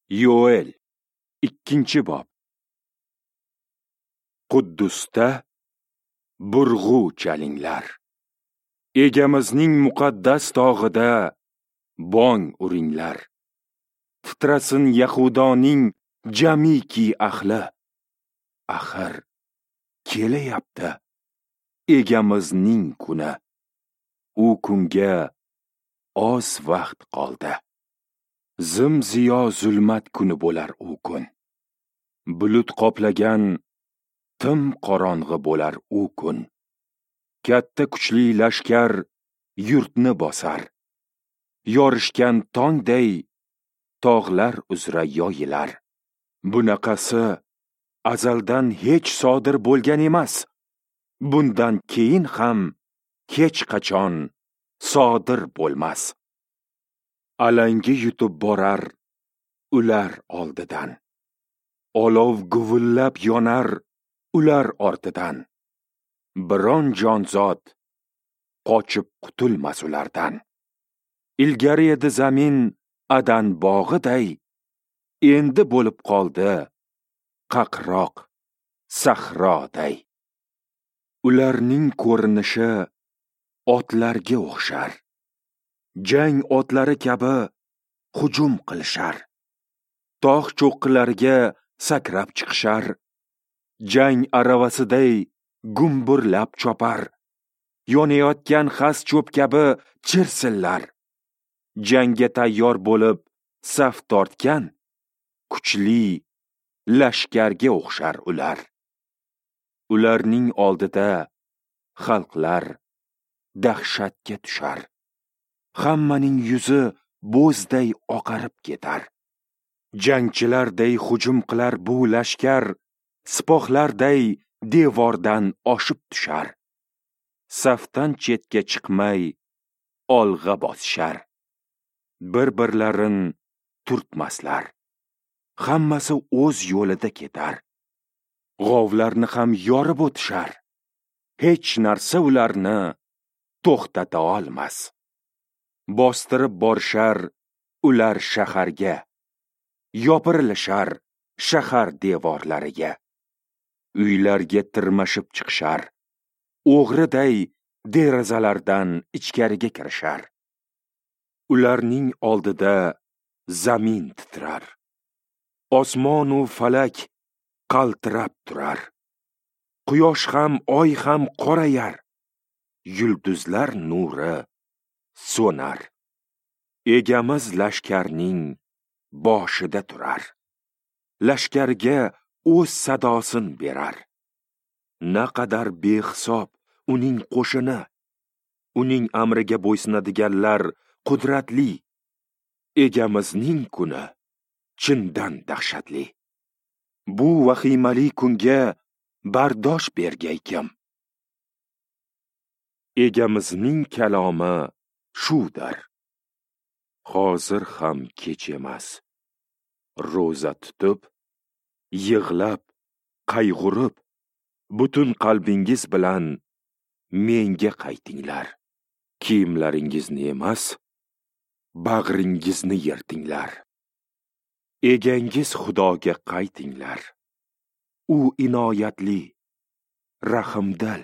Yoel 2-bob. Quddusda burg'u chalinglar. Egamizning muqaddas tog'ida bong uringlar. Titrasin Yahudoning jamiki ahli. Axir kelayapti Egamizning kuni. U kunga oz vaqt qoldi. Zim-ziyo zulmat kuni bo'lar u kun. Bulut qoplagan tim qorong'i bo'lar u kun. Katta kuchli lashkar yurtni bosar. Yorishgan tongday tog'lar uzra yoyilar. Bunaqasi azaldan hech sodir bo'lgan emas. Bundan keyin ham hech qachon sodir bo'lmas. Alangi yutib borar ular oldidan. Olov guvillab yonar ular ortidan. Biron jonzot qochib qutulmas ulardan. Ilgari edi zamin Adan bog'iday, endi bo'lib qoldi qaqroq sahroday. Ularning ko'rinishi otlarga o'xshar. Jang otlari kabi hujum qilishar. Tog' cho'qqilariga sakrab chiqishar. Jang aravasiday gumburlab chopar. Yonayotgan xas cho'p kabi chirsillar. Jangga tayyor bo'lib saf tortgan kuchli lashkarga o'xshar ular. Ularning oldida xalqlar dahshatga tushar. Hammaning yuzi bo'zday oqarib ketar. Jangchilarday hujum qilar bu lashkar, sipohlarday devordan oshib tushar. Safdan chetga chiqmay olg'a bosishar. Bir-birlarin turtmaslar. Hammasi o'z yo'lida ketar. G'ovlarni ham yorib o'tishar. Hech narsa ularni to'xtata olmas. Bostirib borishar ular shaharga, yopirilishar shahar devorlariga. Uylarga tirmashib chiqishar, o'g'riday derazalardan ichkariga kirishar. Ularning oldida zamin titrar. Osmon u falak qaltirab turar. Quyosh ham oy ham qorayar. Yulduzlar nuri so'nar. Egamiz lashkarning boshida turar. Lashkarga o'z sadosin berar. Naqadar behisob uning qo'shini. Uning amriga bo'ysunadiganlar qudratli. Egamizning kuni chindan dahshatli. Bu vahimali kunga bardosh bergay kim? Egamizning kalomi shudir. Hozir ham kech emas. Ro'za tutib, yig'lab, qayg'urib, butun qalbingiz bilan menga qaytinglar. Kiyimlaringizni emas, bag'ringizni yirtinglar. Egangiz Xudoga qaytinglar. U inoyatli, rahimdil,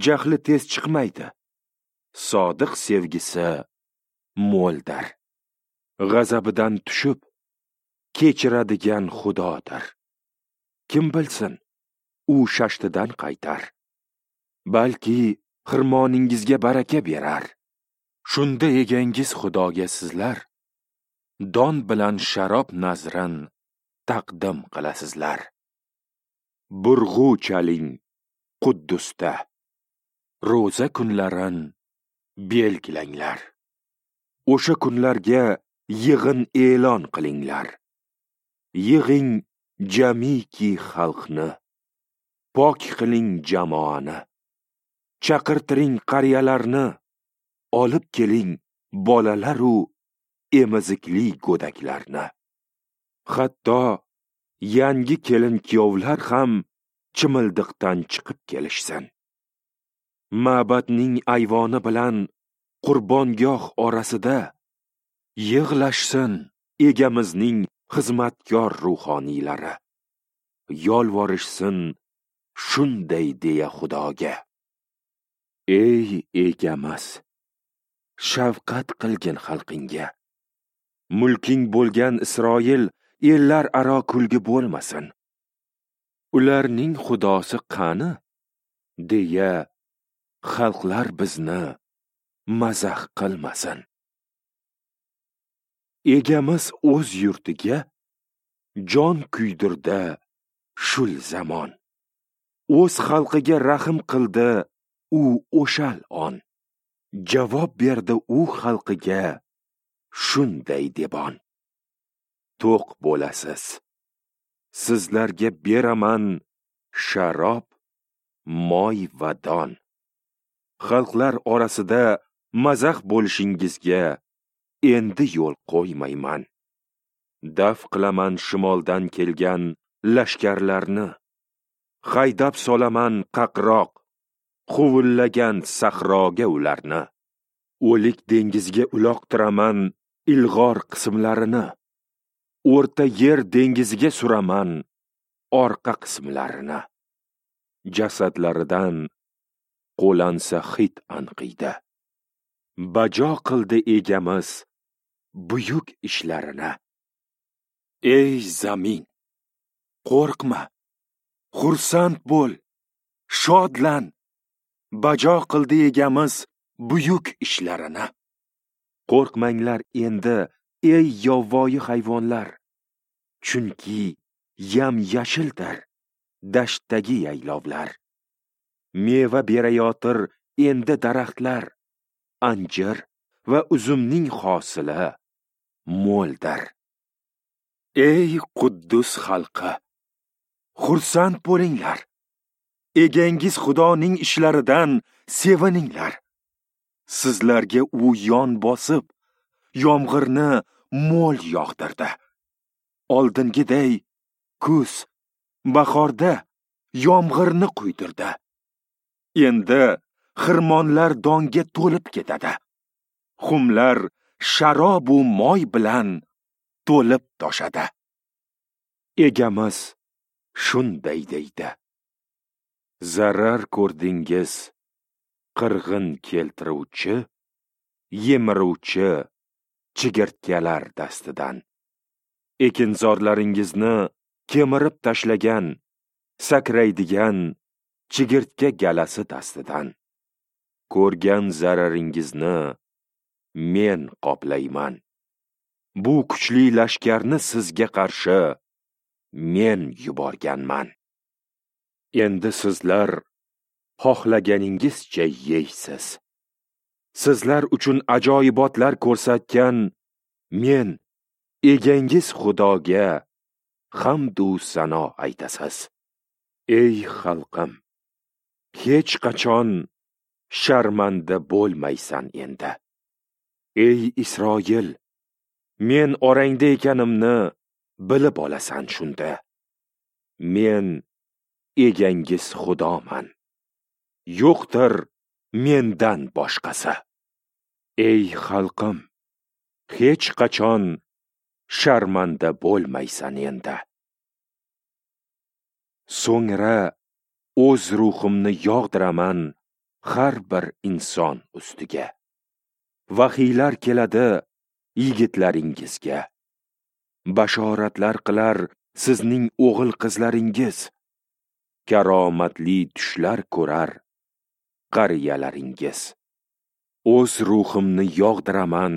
jahli tez chiqmaydi. Sodiq sevgisi mo'ldir. G'azabidan tushib, kechiradigan Xudodir. Kim bilsin, u shashtidan qaytar. Balki xirmoningizga baraka berar. Shunda egangiz Xudoga sizlar don bilan sharob nazrin taqdim qilasizlar. Burg'u chaling Quddusda. Ro'za kunlarin belgilanglar. O'sha kunlarga yig'in e'lon qilinglar. Yig'ing jamiki xalqni. Pok qiling jamoani. Chaqirtiring qariyalarni. Olib keling bolalaru emizikli go'daklarni. Hatto yangi kelin kuyovlar ham chimildiqdan chiqib kelishsin. Ma'badning ayvoni bilan qurbongoh orasida yig'lashsin egamizning xizmatkor ruhoniylari. Yolvorishsin shunday deya Xudoga: Ey egamiz, shafqat qilgin xalqingga. Mulking bo'lgan Isroil ellar aro kulgi bo'lmasin. Ularning xudosi qani deya xalqlar bizni mazax qilmasin. Egamiz o'z yurtiga jon kuydirdi shul zamon. O'z xalqiga rahm qildi u o'shal on. Javob berdi u xalqiga shunday debon: To'q bo'lasiz. Sizlarga beraman sharob, moy va don. Xalqlar orasida mazax bo'lishingizga endi yo'l qo'ymayman. Daf qilaman shimoldan kelgan lashkarlarni. Haydab solaman qaqroq, huvullagan sahroga ularni. O'lik dengizga uloqtiraman ilg'or qismlarini. O'rta yer dengiziga suraman orqa qismlarini. Jasadlaridan qo'lansa hid anqiydi. Bajo qildi egamiz buyuk ishlarini. Ey zamin, qo'rqma, xursand bo'l, shodlan. Bajo qildi egamiz buyuk ishlarini. Qo'rqmanglar endi, ey yovvoyi hayvonlar, chunki yam-yashildir dashtdagi yaylovlar. Meva berayotir endi daraxtlar, anjir va uzumning hosili mo'ldir. Ey Quddus xalqi, xursand bo'linglar. Egangiz Xudoning ishlaridan sevininglar. Sizlarga u yon bosib, yomg'irni mo'l yog'dirdi. Oldingiday kuz, bahorda yomg'irni quydirdi. Endi xirmonlar donga to'lib ketadi. Xumlar sharob u moy bilan to'lib toshadi. Egamiz shunday deydi: Zarar ko'rdingiz qirg'in keltiruvchi, yemiruvchi chigirtkalar dastidan. Ekinzorlaringizni kemirib tashlagan, sakraydigan chigirtka galasi dastidan. Ko'rgan zararingizni men qoplayman. Bu kuchli lashkarni sizga qarshi men yuborganman. Endi sizlar xohlaganingizcha yeysiz. Sizlar uchun ajoyibotlar ko'rsatgan men egangiz Xudoga hamd u sano aytasiz. Ey xalqim, hech qachon sharmanda bo'lmaysan endi. Ey Isroil, men orangda ekanimni bilib olasan shunda. Men egangiz Xudoman. Yo'qdir mendan boshqasi. Ey xalqim, hech qachon sharmanda bo'lmaysan endi. So'ngra o'z ruhimni yog'diraman har bir inson ustiga. Vahiylar keladi yigitlaringizga. Bashoratlar qilar sizning o'g'il qizlaringiz. Karomatli tushlar ko'rar qariyalaringiz. O'z ruhimni yog'diraman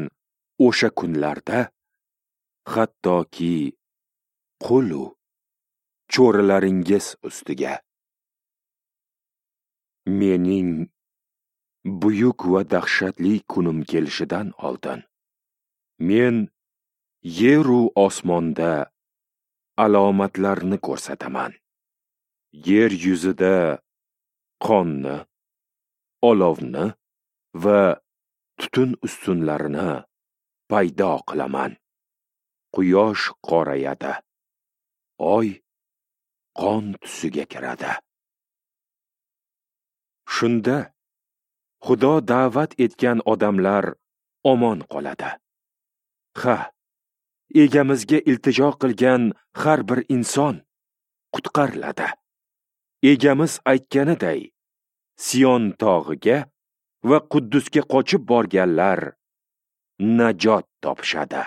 o'sha kunlarda, hattoki qulu cho'rilaringiz ustiga. Mening buyuk va dahshatli kunim kelishidan oldin men yeru osmonda alomatlarni ko'rsataman. Yer yuzida qonni, olovni va tutun ustunlarini paydo qilaman. Quyosh qorayadi, oy qon tusiga kiradi. Shunda Xudo da'vat etgan odamlar omon qoladi. Ha, Egamizga iltijo qilgan har bir inson qutqariladi. Egamiz aytganiday, Sion tog'iga va Quddusga qochib borganlar najot topishadi.